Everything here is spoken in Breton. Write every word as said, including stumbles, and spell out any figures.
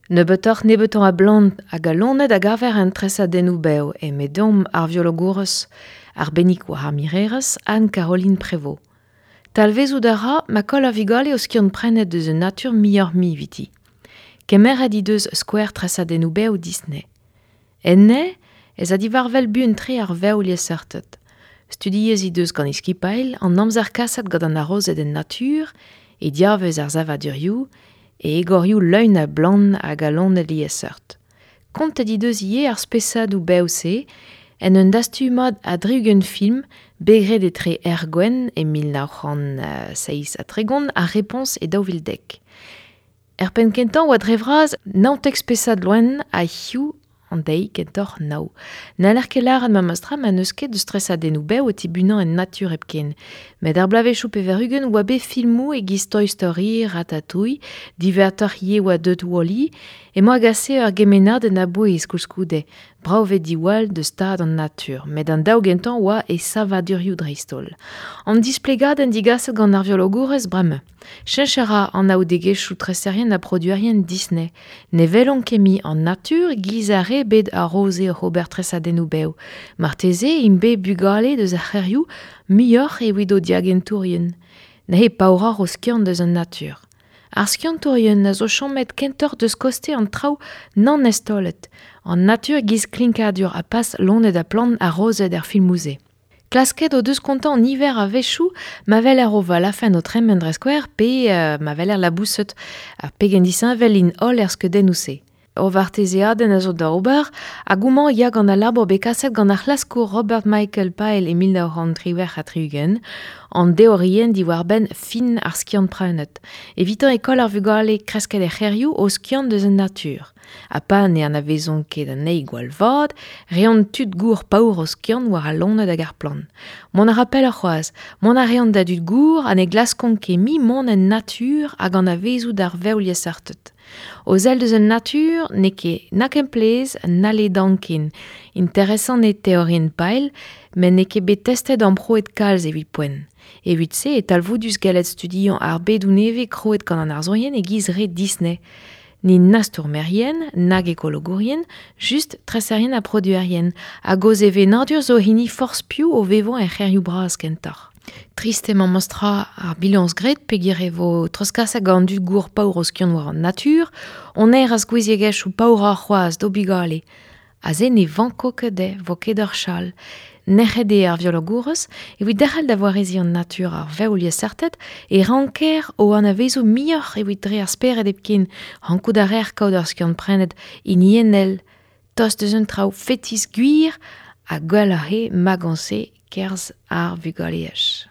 Nebeutoc'h nebeutañ a blant hag a loened a gaver en tresadennoù bev eme deomp ar viologourez arbennik war ar mirerezh Anne-Caroline Prévost. Talvezout a ra ma koll ar vugale o skiant-prenet deus un natur muioc'h-mui eviti. Kemeret he deus skouer tresadennoù bev Disney. Enne ez a diwar-wel buan-tre ar vev liesseurted. Studiez he deus gant he skipailh an amzer kaset gant an harozed en natur, e diavez ar savadurioù, e egorioù leun a blant hag a loened liesseurt. Kontet he deus ivez ar spesadoù bev-se en un dastumad a dri-ugent film bet graet etre Er Gwenn e mil nav c'hant seizh ha tregont ha Réponse e daou vil dek. Er penn kentañ oa dre vras naontek spesad loen ha hiziv an deiz kentoc'h nav. N'haller ket lâret memes tra ma n'eus ket deus tresadennoù bev o tibunañ en natur hepken. Met ar bloavezhioù pevar-ugent oa bet filmoù e-giz Toy Story, Ratatouille, diwezhatoc'h ivez oa deut Wall-E, emañ a gase ur gemennadenn a-bouez koulskoude, brav eo diwall deus stad an natur, met an daou gentañ oa e savadurioù dreist-holl. An displegadenn digaset gant ar viologourez bremañ. Cheñch a ra an anaoudegezhioù treserien ha produerien Disney. Ne welont ket mui an natur giz ar re bet a-raoze oc'h ober tresadennoù bev. Marteze int bet bugale deus ar c'hêrioù muioc'h evit o diagentourien. Neuze paouroc'h o skiant deus an natur. Ar skiantourien a zo chomet kentoc'h deus koste an traoù nann eztaolet. An natur giz klinkadur ha pas loened ha plant harozed er filmoù-se. Klasket o deus kontañ an niver a wechoù ma weler o valafenn o tremen dre skouer pe uh, ma weler laboused ha pegen disheñvel int holl er skeudennoù-se. Ur vartezeadenn a zo da ober hag homañ ya gant al labour bet kaset gant ar c'hlaskour Robert Michael Pyle e mil nav c'hant triwec'h ha tri-ugent, an deorienn diwar-benn fin ar skiant-prenet. Evitañ e koll ar vugale kresket er c'hêrioù o skiant deus an natur. Ha pa ne anavezont ket anezhi gwall vat, reont tud gour paour o skiant war al loened hag ar plant. Mont a ra pelloc'h c'hoazh, mont a reont da dud gour ha ne glaskont ket mui mont en natur hag anavezout ar vev liesseurted. O sell deus an natur n'eo ket na kemplezh na ledan ken. Interesant eo teorienn Pyle, met n'eo ket bet testet amprouet kalz evit poent. Evit se e talvoudus gallet studiañ ar bedoù nevez krouet gant an arzourien e-giz re Disney. N'int na stourmerien, nag ekologourien, just treserien ha produerien, hag o sevenadur zo hini forzh piv o vevañ er c'hêrioù bras kentoc'h. Trist emañ memes-tra ar bilañs graet peogwir e vo treuzkaset gant an dud gour paour o skiant war an natur, on aer a gouiziegezhioù paouroc'h c'hoazh d'o bugale. Aze ne vanko ket dezhe, vo ket ur chal. Nec'het eo ar viologourez, evit derc'hel da wareziñ an natur ar vev liesseurted e ranker o anavezout muioc'h evit dre ar spered hepken, rankout a reer kaout ur skiant-prenet hiniennel, tost deus un traoù fetis gwir ha gwelloc'h eo magañ-se kerzh ar vugaleaj.